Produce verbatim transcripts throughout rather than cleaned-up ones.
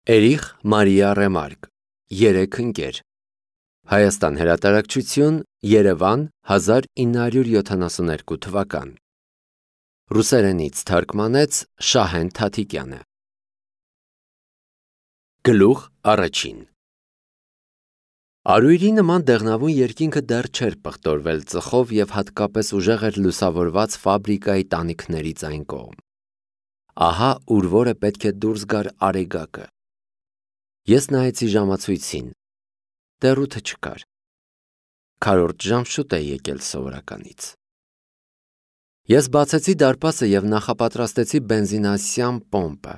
Էրիխ Մարիա Ռեմարկ, երեք ընկեր, Հայաստան հրատարակչություն, Երևան, հազար ինը հարյուր յոթանասունհինգ թվական, ռուսերենից թարգմանեց Շահեն Թաթիկյանը։ Գլուխ առաջին։ Արույրի նման դեղնավուն երկինքը դեռ չէր պղտորվել ծխով և հատկապես ուժեղ էր լուսավորված ֆաբրիկայի տանիքներից այն կողմ։ Ահա ուր որը պետք է դուրս գար արեգակը։ Ես նայեցի ժամացույցին, դեռ ութը չկար։ Քառորդ ժամ շուտ է եկել սովորականից։ Ես բացեցի դարպասը և նախապատրաստեցի բենզինասյան պոմպը։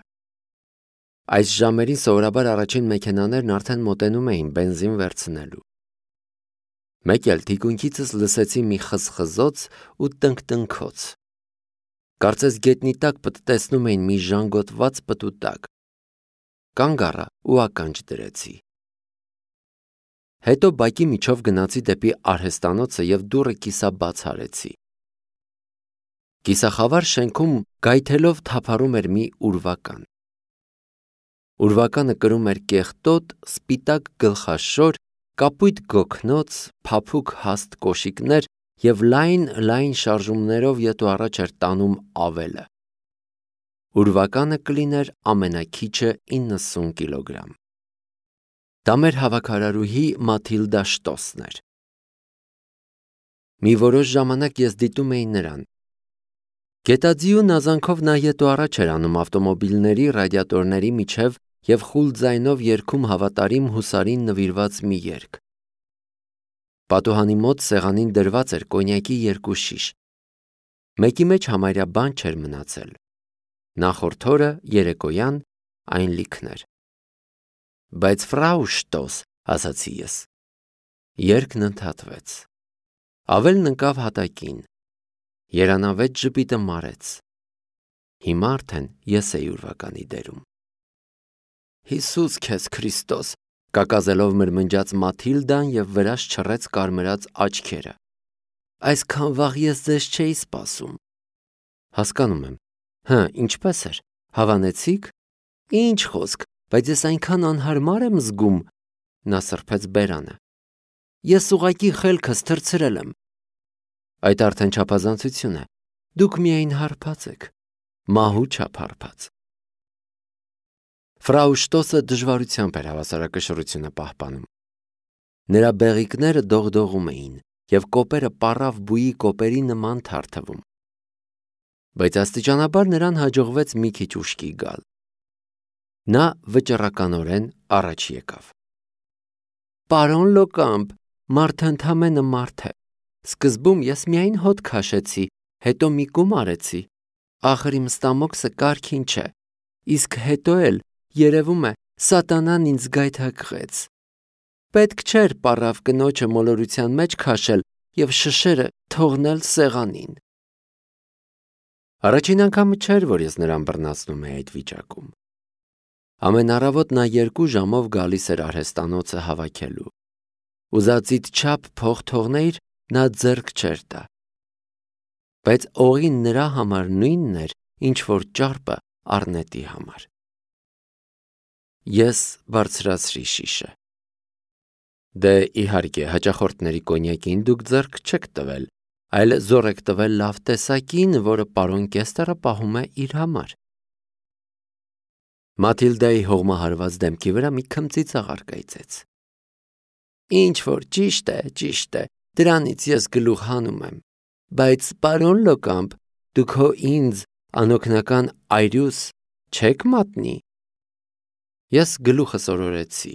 Այս ժամերին սովորաբար առաջին մեքենաներն արդեն մոտենում էին բենզին վերցնելու։ Մեկ էլ թիկունքիցս լսեցի մի խզխզոց ու տնկտնքոց։ Կարծես գետնի տակ պտտեցնում էին մի ժանգոտված պտուտակ։ Կանգ առա ու ականջ դրեցի։ Հետո բակի միջով գնացի դեպի արհեստանոցը և դուռը կիսաբաց արեցի։ Կիսախավար շենքում գայթելով թափառում էր մի ուրվական։ Ուրվականը կրում էր կեղտոտ, սպիտակ գլխաշոր, կապույտ գոգնոց, փափուկ հաստ կոշիկներ և լայն-լայն շարժումներով ետ ու առաջ էր տանում ավելը։ Ուրվականը կլիներ ամենաքիչը իննսուն կիլոգրամ։ Դա մեր հավաքարարուհի Մաթիլդա Շտոսն էր։ Մի որոշ ժամանակ ես դիտում էի նրան։ Գետաձիու նազանքով նա ետ ու առաջ էր անում ավտոմոբիլների ռադիատորների միջև և խուլ ձայնով երգում հավատարիմ հուսարին նվիրված մի երգ։ Պատուհանի մոտ սեղանին դրված էր կոնյակի երկու շիշ։ Մեկի մեջ համարյա բան չէր մնացել։ Նախորդ օրը երեկոյան այն լիքն էր։ Բայց ֆրау Շտոս, ասացի ես։ Երգն ընդհատվեց։ Ավելն ընկավ հատակին։ Երանավետ ժպիտը մարեց։ Հիմա արդեն ես էի ուրվականի դերում։ Հիսուս քեզ Քրիստոս, կակազելով մրմնջաց Մաթիլդան և վրաս չռեց կարմրած աչքերը։ Այսքան վաղ ես ձեզ չէի սպասում։ Հասկանում եմ։ Հը, ինչպես էր, հավանեցի՞ք։ Ինչ խոսք, բայց ես այնքան անհարմար եմ զգում, նա սրբեց բերանը։ Ես ուղղակի խելքս թռցրել եմ։ Այդ արդեն չափազանցություն է, դուք միայն հարբած եք, մահու չափ հարբած։ Ֆրау Շտոսը դժվարությամբ էր հավասարակշռությունը պահպանում։ Նրա բեղիկները դողդողում էին և կոպերը պառավ բույի կոպերի նման թարթվում։ Բայց աստիճանաբար նրան հաջողվեց մի քիչ ուշքի գալ։ Նա վճռականորեն առաջ եկավ։ Պարոն Լոկամպ, մարդը ընդամենը մարդ է։ Սկզբում ես միայն հոտ քաշեցի, հետո մի կում արեցի։ Ախր իմ ստամոքսը կարգին չէ, իսկ հետո էլ, երևում է, սատանան ինձ գայթակղեց։ Պետք չէր պառավ կնոջը մոլորության մեջ քաշել և շշերը թողնել սեղանին։ Առաջին անգամը չէր, որ ես նրան բռնացնում էի այդ վիճակում։ Ամեն առավոտ նա երկու ժամով գալիս էր արհեստանոցը հավաքելու։ Ուզածիդ չափ փող թողնեիր, նա ձեռք չէր տա։ Բայց օղին նրա համար նույնն էր, ինչ որ ճարպը առնետի համար։ Ես բարձրացրի շիշը։ Դե իհարկե, հաճախորդների կոնյակին դուք ձեռք չեք տվել, այլ զոր եք տվել լավ տեսակին, որը պարոն Կեստերը պահում է իր համար։ Մաթիլդայի հողմահարված դեմքի վրա մի քմծիծ աղար կայծեց։ Ինչ որ ճիշտ է, ճիշտ է, դրանից ես գլուխ հանում եմ, բայց պարոն Լոկամպ, դուք հո ինձ անօգնական այրյուս չեք մատնի։ Ես գլուխս օրորեցի։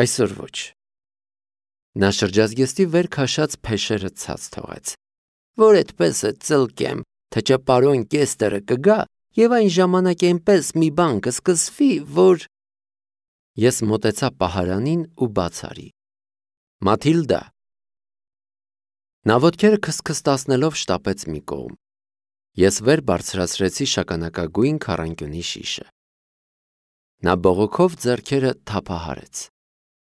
Այսօր ոչ։ Նա շրջազգեստի վեր քաշած փեշերը ցած թողեց։ Որ այդպես է ծլկեմ, թե չէ պարոն Կեստերը կգա և այն ժամանակ այնպես մի բան կսկսվի, որ… Ես մոտեցա պահարանին ու բաց արի։ Մաթիլդա։ Նա ոտքերը քստքստացնելով շտապեց մի կողմ։ Ես վեր բարձրացրեցի շագանակագույն քառանկյունի շիշը։ Նա բողոքով ձեռքերը թափահարեց։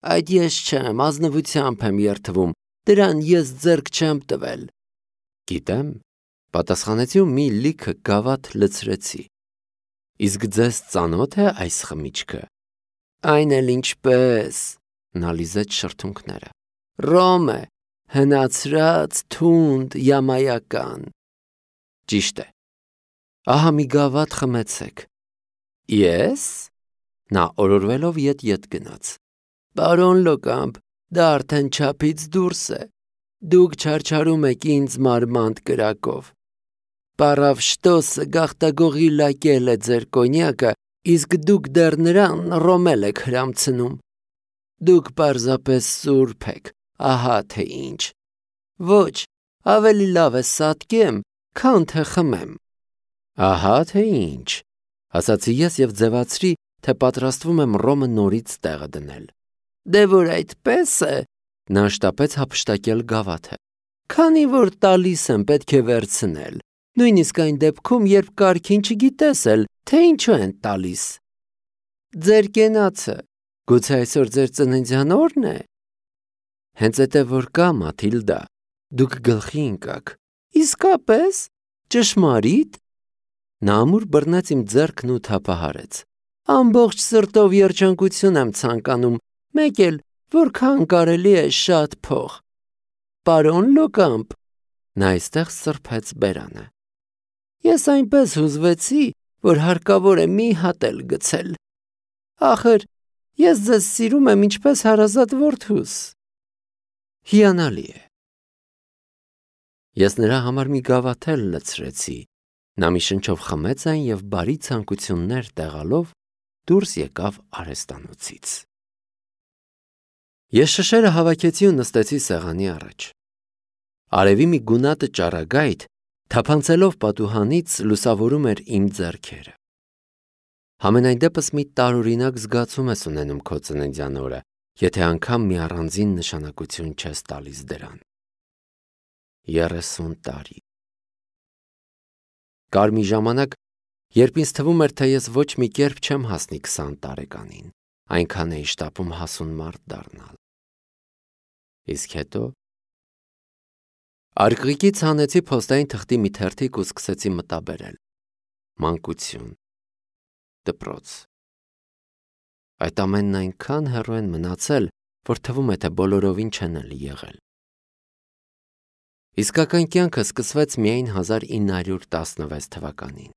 Այդ ես չեմ, ազնվությամբ եմ երդվում, դրան ես ձեռք չեմ տվել։ Գիտեմ, պատասխանեցի ու մի լիքը գավաթ լցրեցի։ Իսկ ձեզ ծանոթ է այս խմիչքը։ Այն էլ ինչպես, նա լիզեց շրթունքները։ Ռոմ է, հնացրած, թունդ, յամայական։ Ճիշտ է։ Ահա մի գավաթ խմեցեք։ Ես։ Նա օրորվելով ետ-ետ գնաց։ Պարոն Լոկամպ, դա արդեն չափից դուրս է։ Դուք չարչարում եք ինձ մարմանդ կրակով։ Պարավ շտոսը գաղտագողի լակել է ձեր կոնյակը, իսկ դուք դեռ նրան ռոմել եք հրամցնում։ Դուք պարզապես սուրբ եք, ահա թե ինչ։ Ոչ, ավելի լավ է սատկեմ, քան թե խմեմ։ Ահա թե ինչ, ասացի ես և ձևացրի, թե պատրաստվում եմ ռոմը նորից տեղը դնել։ Դե որ այդպես է, նա շտապեց հափշտակել գավաթը։ Քանի որ տալիս եմ, պետք է վերցնել, նույնիսկ այն դեպքում, երբ կարգին չգիտես էլ, թե ինչու են տալիս։ Ձեր կենացը, գուցե այսօր ձեր ծննդյան օրն է։ Հենց էտե որ կա, Մաթիլդա, դուք գլխի ընկաք։ Իսկապես, ճշմարիտ։ Նա ամուր բռնեց իմ ձեռքն ու թափահարեց։ Ամբողջ սրտով երջանկություն եմ ցանկանում, մեկ էլ որքան կարելի է շատ փող։ Պարոն Լոկամպ, նա այստեղ սրբեց բերանը։ Ես այնպես հուզվեցի, որ հարկավոր է մի հատ էլ գցել։ Ախր, ես ձեզ սիրում եմ ինչպես հարազատ որդուս։ Հիանալի է։ Ես նրա համար մի գավաթ էլ լցրեցի։ Նա մի շնչով խմեց այն և բարի ցանկություններ տեղալով դուրս եկավ արհեստանոցից։ Ես շշերը հավաքեցի ու նստեցի սեղանի առաջ։ Արևի մի գունատը ճառագայթ, թափանցելով պատուհանից, լուսավորում էր իմ ձեռքերը։ Համենայն դեպս մի տարօրինակ զգացում ես ունենում քո ծննդյան օրը, եթե անգամ մի առանձին նշանակություն չես տալիս դրան։ երեսուն տարի։ Կար մի ժամանակ, երբ ինձ թվում էր, թե ես ոչ մի կերպ չեմ հասնի քսան տարեկանին, այնքան էի շտապում հասուն մարդ դառնալ։ Իսկ հետո արկղիկից հանեցի փոստային թղթի մի թերթիկ ու սկսեցի մտաբերել։ Մանկություն, դպրոց։ Այդ ամենն այնքան հեռու են մնացել, որ թվում է, թե բոլորովին չեն էլ եղել։ Իսկական կյանքը սկսվեց միայն հազար ինը հարյուր տասնվեց թվականին։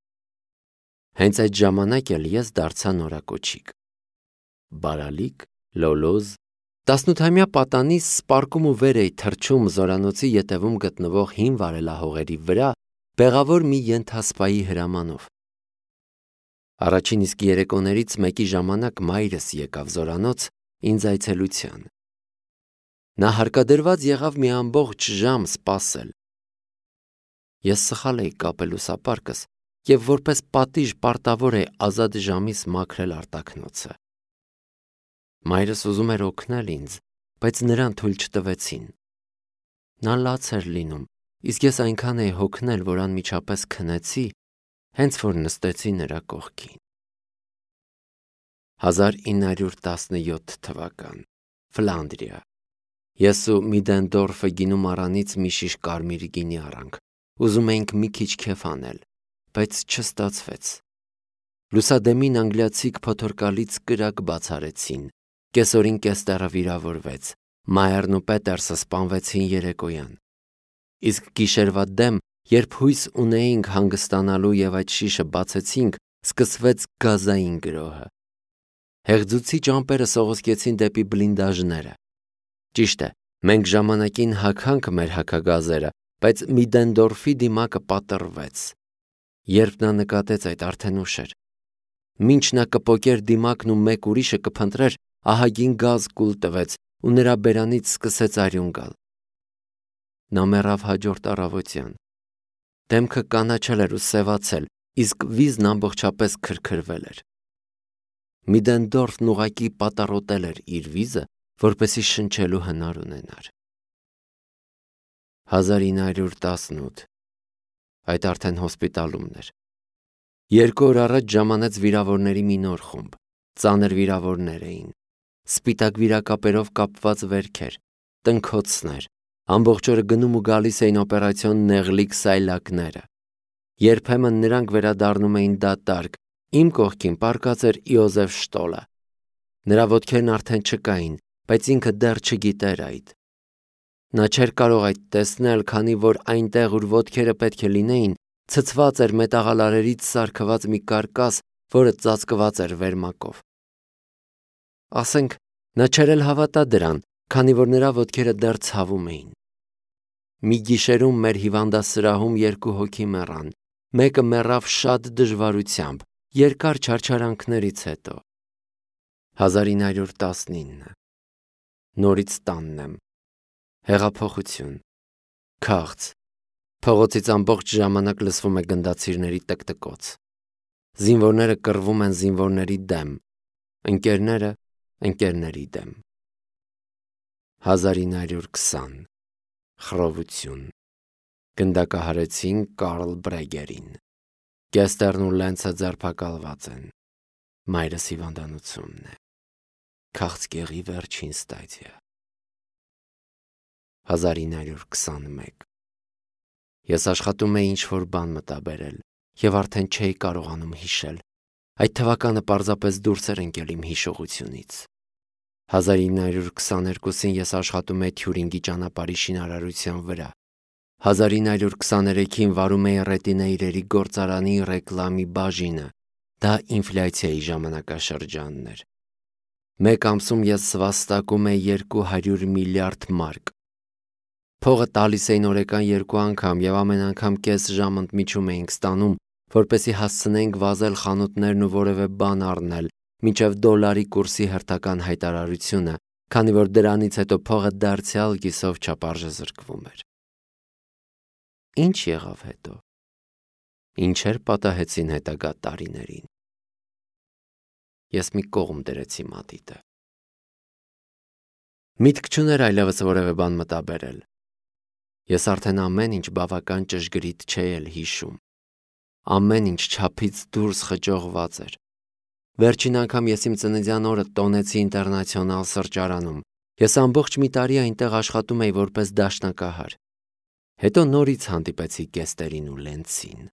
Հենց այդ ժամանակ էլ ես դարձա նորակոչիկ։ Բարալիկ, լոլոզ, տասնութամյա պատանիս սպարկում ու վեր էի թռչում զորանոցի ետևում գտնվող հին վարելահողերի վրա, բեղավոր մի ենթասպայի հրամանով։ Առաջին իսկ երեկոներից մեկի ժամանակ մայրս եկավ զորանոց ինձ այցելության։ Նա հարկադրված եղավ մի ամբողջ ժամ սպասել։ Ես սխալ էի կապել ուսապարկս և որպես պատիժ պարտավոր էի ազատ ժամիս մաքրել արտաքնոցը։ Մայրս ուզում էր օգնել ինձ, բայց նրան թույլ չտվեցին։ Նա լաց էր լինում, իսկ ես այնքան էի հոգնել, որ անմիջապես քնեցի, հենց որ նստեցի նրա կողքին։ հազար ինը հարյուր տասնյոթ թվական, Ֆլանդրիա։ Ես ու Միդենդորֆը գինու առանից մի շիշ կարմիր գինի առանք, ուզում էինք մի քիչ քեֆ անել, բայց չստացվեց։ Լուսադեմին անգլիացիք փոթորկալից կրակ բացարեցին, կեսօրին կեստերը վիրավորվեց, Մայերն ու Պետերսը սպանվեցին երեկոյան։ Իսկ գիշերվա դեմ, երբ հույս ունեինք հանգստանալու և այդ շիշը բացեցինք, սկսվեց գազային գրոհը։ Հեղձուցիչ ամպերը սողոսկեցին դեպի բլինդաժները։ Ճիշտ է, մենք ժամանակին հագանք մեր հագագազերը, բայց Միդենդորֆի դիմակը պատռվեց։ Երբ նա նկատեց այդ, արդեն ուշ էր։ Մինչ նա կպոկեր դիմակն ու մեկ ուրիշը կփնտրեր, ահագին գազ կուլ տվեց ու նրա բերանից սկսեց արյուն գալ։ Նա մեռավ հաջորդ առավոտյան։ Դեմքը կանաչել էր ու սևացել, իսկ վիզն ամբողջապես քրքրվել էր։ Միդենդորֆն ուղղակի պատառոտել էր իր վիզը, որպեսզի շնչելու հնար ունենար։ հազար ինը հարյուր տասնութ Այդ արդեն հոսպիտալումն էր։ Երկու օր առաջ ժամանեց վիրավորների մի նոր խումբ։ Ծանր վիրավորներ էին։ Սպիտակ վիրակապերով կապված վերքեր, տնքոցներ, ամբողջ օրը գնում ու գալիս էին օպերացիոն նեղլիկ սայլակները։ Երբեմն նրանք վերադառնում էին դատարկ, իմ կողքին պառկած էր Իոզեֆ Շտոլը։ Նրա ոտքերն արդեն չկային, բայց ինքը դեռ չգիտեր այդ։ Նա չէր կարող այդ տեսնել, քանի որ այնտեղ, ուր ոտքերը պետք է լինեին, ցցված էր մետաղալարերից սարքված մի կարկաս, որը ծածկված էր վերմակով։ Ասենք, նա չէր էլ հավատա դրան, քանի որ նրա ոտքերը դեռ ցավում էին։ Մի գիշերում մեր հիվանդասրահում երկու հոգի մեռան, մեկը մեռավ շատ դժվարությամբ, երկար չարչարանքներից հետո։ հազար ինը հարյուր տասնինը Նորից տանն եմ։ Հեղափոխություն, քաղց, փողոցից ամբողջ ժամանակ լսվում է գնդացիրների տկտկոց։ Զինվորները կռվում են զինվորների դեմ, ընկերները ընկերների դեմ։ հազար ինը հարյուր քսան Խռովություն, գնդակահարեցին Կարլ Բրեգերին։ Գեստերն ու Լենցը ձերբակալված են։ Մայրս հիվանդանոցումն է։ Քաղցկեղի վերջին ստադիա։ հազար ինը հարյուր քսանմեկ Ես աշխատում էի ինչ-որ բան մտաբերել և արդեն չէի կարողանում հիշել։ Այդ թվականը պարզապես դուրս էր ընկել իմ հիշողությունից։ հազար ինը հարյուր քսաներկուսին ես աշխատում էի Թյուրինգի ճանապարհի շինարարության վրա։ հազար ինը հարյուր քսաներեքին վարում էի Ռետինե իրերի գործարանի ռեկլամի բաժինը։ Դա ինֆլյացիայի ժամանակաշրջանն էր։ Մեկ ամսում ես սվաստակում էի երկու հարյուր միլիարդ մարկ։ Փողը տալիս էին օրական երկու անգամ և ամեն անգամ կես ժամ ընդմիջում էինք ստանում, որպեսզի հասցնեինք վազել խանութներն ու որևէ բան առնել, մինչև դոլարի կուրսի հերթական հայտարարությունը, քանի որ դրանից հետո փողը դարձյալ կիսով չափարժեզրկվում էր։ Ինչ եղավ հետո։ Ինչեր պատահեցին հետագա տարիներին։ Ես մի կողմ դրեցի մատիտը։ Միտք չուներ այլևս որևէ բան մտաբերել։ Ես արդեն ամեն ինչ բավական ճշգրիտ չէի էլ հիշում։ Ամեն ինչ չափից դուրս խճողված էր։ Վերջին անգամ ես իմ ծննդյան օրը տոնեցի ինտերնացիոնալ սրճարանում։ Ես ամբողջ մի տարի այնտեղ աշխատում էի որպես դաշնակահար։ Հետո նորից հանդիպեցի Գեստերին ու Լենցին։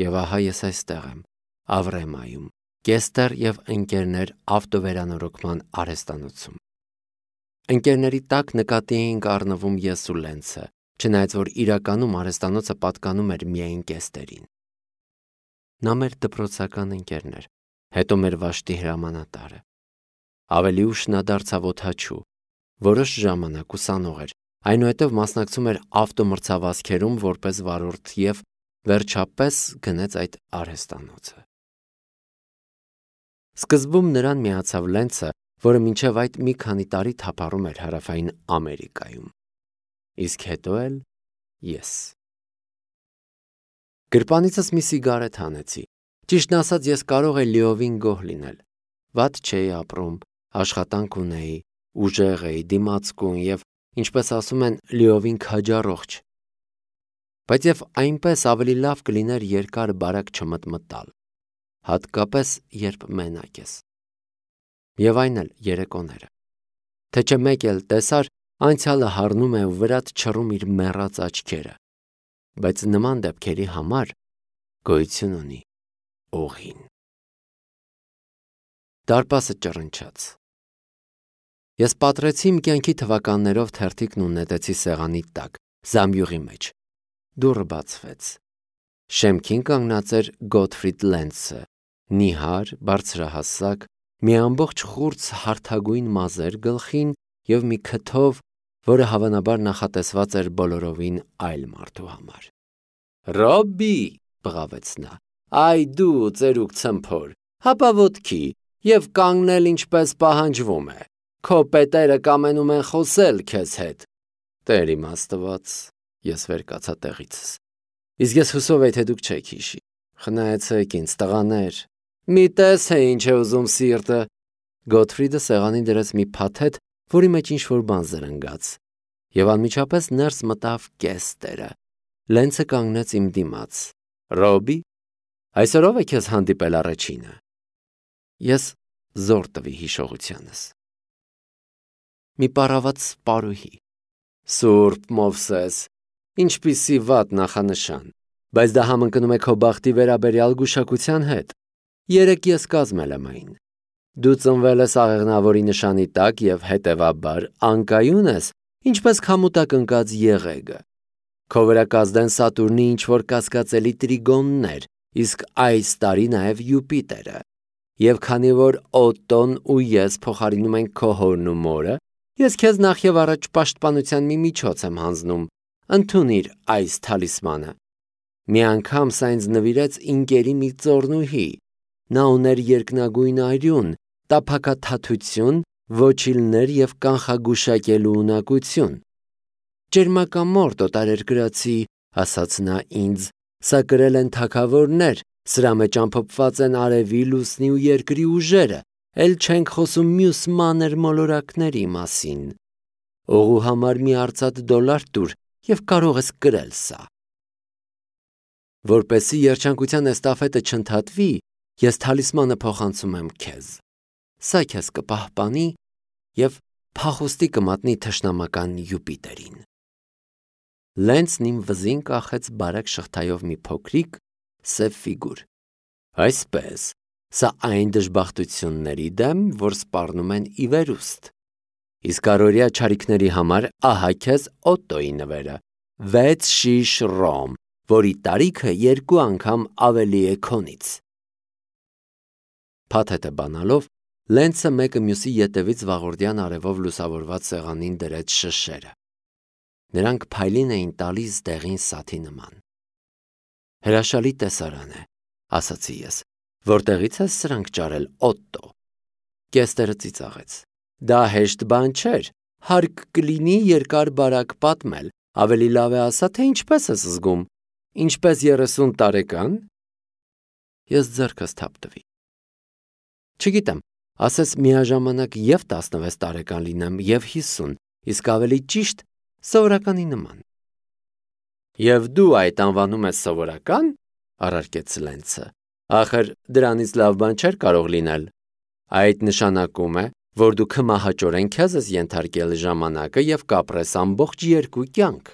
Եվ ահա ես այստեղ եմ, Ավրեմայում, Գեստեր և ընկերներ ավտովերանորոգման արհեստանոցում։ Ընկերների տակ նկատի էինք առնվում ես ու Լենցը, չնայած որ իրականում արհեստանոցը պատկանում էր միայն Գեստերին։ Նա մեր դպրոցական ընկերն էր, հետո մեր վաշտի հրամանատարը։ Ավելի ուշ նա դարձավ օդաչու, որոշ ժամանակ ուսանող էր, այնուհետև մասնակցում էր ավտոմրցավազքերում որպես վարորդ և վերջապես գնեց այդ արհեստանոցը։ Սկզբում նրան միացավ Լենցը, որը մինչև այդ մի քանի տարի թափառում էր Հարավային Ամերիկայում։ Իսկ հետո էլ ես։ Գրպանիցս մի սիգարետ հանեցի։ Ճիշտն ասած, ես կարող էի լիովին գոհ լինել։ Վատ չէի ապրում, աշխատանք ունեի, ուժեղ էի, դիմացկուն և, ինչպես ասում են, լիովին քաջառողջ։ Բայց և այնպես ավելի լավ կլիներ երկար բարակ չմտմտալ, հատկապես երբ մենակ ես։ Եվ այն էլ երեկոները։ Թե չէ մեկ էլ տեսար, անցյալը հառնում է ու վրադ չռում իր մեռած աչքերը, բայց նման դեպքերի համար գոյություն ունի օղին։ Դարպասը ճռնչաց։ Ես պատռեցի իմ կյանքի թվականներով թերթիկն ու նետեցի սեղանի տակ, զամբյուղի մեջ։ Դուռը բացվեց։ Շեմքին կանգնած էր Գոթֆրիդ Լենցը, նիհար, բարձրահասակ, մի ամբողջ խուրձ հարթագույն մազեր գլխին և մի քթով, որը հավանաբար նախատեսված էր բոլորովին այլ մարդու համար։ «Ռոբբի», բղավեց նա, «այ դու ծերուկ ցմփոր, հապա ոտքի և կանգնել ինչպես պահանջվում է, քո պետերը կամենում են խոսել քեզ հետ»։ Տեր իմ Աստված, ես վեր կացա տեղիցս։ Իսկ ես հուսով էի, թե դուք չեք հիշի։ Խնայեցեք ինձ, տղաներ, մի տես է ինչ է ուզում սիրտը։ Գոթֆրիդը սեղանին դրեց մի փաթեթ, որի մեջ ինչ-որ բան զրնգաց, և անմիջապես ներս մտավ Գեստերը։ Լենցը կանգնեց իմ դիմաց։ «Ռոբբի, այսօր ո՞վ է քեզ հանդիպել առաջինը»։ Ես զոր տվի հիշողությանս։ Մի պառաված պարուհի։ Սուրբ Մովսես, ինչպիսի վատ նախանշան, բայց դա համընկնում է քո բախտի վերաբերյալ գուշակության հետ։ Երեկ ես կազմել եմ այն։ Դու ծնվել ես աղեղնավորի նշանի տակ և հետևաբար անկայուն ես, ինչպես քամուտակ ընկած եղեգը։ Քո վրա կազդեն Սատուրնի ինչ-որ կասկածելի տրիգոններ, իսկ այս տարի նաև Յուպիտերը։ Եվ քանի որ Օտտոն ու ես փոխարինում ենք քո հորն ու մորը, ես քեզ նախ և առաջ պաշտպանության մի միջոց եմ հանձնում, ընդունիր այս թալիսմանը։ Մի անգամ սա ինձ նվիրեց ինկերի մի ծոռնուհի, նա ուներ երկնագույն արյուն, տափակաթաթություն, ոչիլներ և կանխագուշակելու ունակություն։ Ճերմակամորթ օտարերկրացի, ասաց նա ինձ, սա կրել են թագավորներ, սրա մեջ ամփոփված են արևի, լուսնի ու երկրի ուժերը, էլ չենք խոսում մյուս մանր մոլորակների մասին։ Օղու համար մի արծաթ դոլար տուր և կարող ես կրել սա։ Որպեսզի երջանկության էստաֆետը չընդհատվի, ես թալիսմանը փոխանցում եմ քեզ։ Սա քեզ կպահպանի և փախուստի կմատնի թշնամական Յուպիտերին։ Լենցն իմ վզին կախեց բարակ շղթայով մի փոքրիկ սև ֆիգուր։ Այսպես, սա այն դժբախտությունների դեմ, որ սպառնում են ի վերուստ։ Իսկ առօրյա չարիքների համար ահա քեզ Օտտոյի նվերը՝ վեց շիշ ռոմ, որի տարիքը երկու անգամ ավելի է քոնից։ Փաթեթը բանալով, Լենցը մեկը մյուսի ետևից վաղորդյան արևով լուսավորված սեղանին դրեց շշերը։ Նրանք փայլին էին տալիս դեղին սաթի նման։ Հրաշալի տեսարան է, ասացի ես, որտեղից ես սրանք ճարել, Օտտո։ Կեստերը ծիծաղեց։ Դա հեշտ բան չէր, հարկ կլինի երկար բարակ պատմել, ավելի լավ է ասա, թե ինչպես ես զգում, ինչպես երեսուն տարեկան։ Ես ձեռքս թափ տվի։ Չգիտեմ, ասես միաժամանակ և տասնվեց տարեկան լինեմ, և հիսուն, իսկ ավելի ճիշտ սովորականի նման։ Եվ դու այդ անվանում ես սովորական, առարկեց Լենցը, ախր դրանից լավ բան չէր կարող լինել։ Այդ նշանակում է, որ դու քմահաճորեն քեզ ես ենթարկել ժամանակը և կապրես ամբողջ երկու կյանք։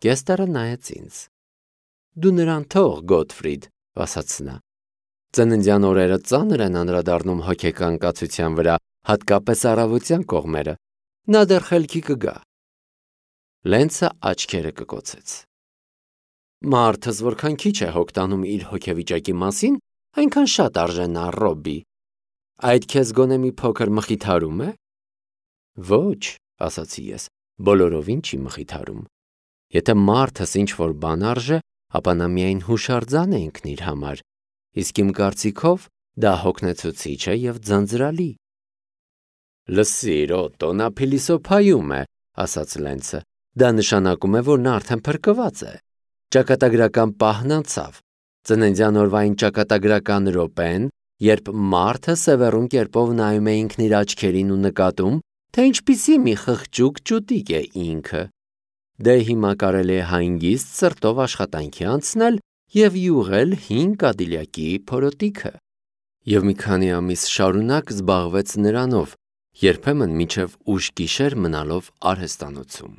Կեստերը նայեց ինձ։ Դու նրան թող, Գոթֆրիդ, ասաց նա։ Ծննդյան օրերը ծանր են անդրադառնում հոգեկան կացության վրա, հատկապես առավոտյան կողմերը։ Նա դեռ խելքի կգա։ Լենցը աչքերը կկոցեց։ Մարդս որքան քիչ է հոգ տանում իր հոգեվիճակի մասին, այնքան շատ արժանա, Ռոբբի։ Այդ քեզ գոնե մի փոքր մխիթարում է։ Ոչ, ասացի ես, բոլորովին չի մխիթարում։ Եթե մարդս ինչ-որ բան արժե, ապա նա միայն հուշարձան է ինքն իր համար, իսկ իմ կարծիքով դա հոգնեցուցիչ է և ձանձրալի։ Լսիր, Օտտո, նա փիլիսոփայում է, ասաց Լենցը։ Դա նշանակում է, որ նա արդեն փրկված է։ Ճակատագրական պահն անցավ։ Ծննդյան օրվա այն ճակատագրական րոպեն, երբ մարդը սևեռուն կերպով նայում է ինքն իր աչքերին ու նկատում, թե ինչպիսի մի խղճուկ ճուտիկ է ինքը։ Դե հիմա կարելի է հանգիստ սրտով աշխատանքի անցնել և յուղել հին Կադիլակի փորոտիքը։ Եվ մի քանի ամիս շարունակ զբաղվեց նրանով, երբեմն մինչև ուշ գիշեր մնալով արհեստանոցում։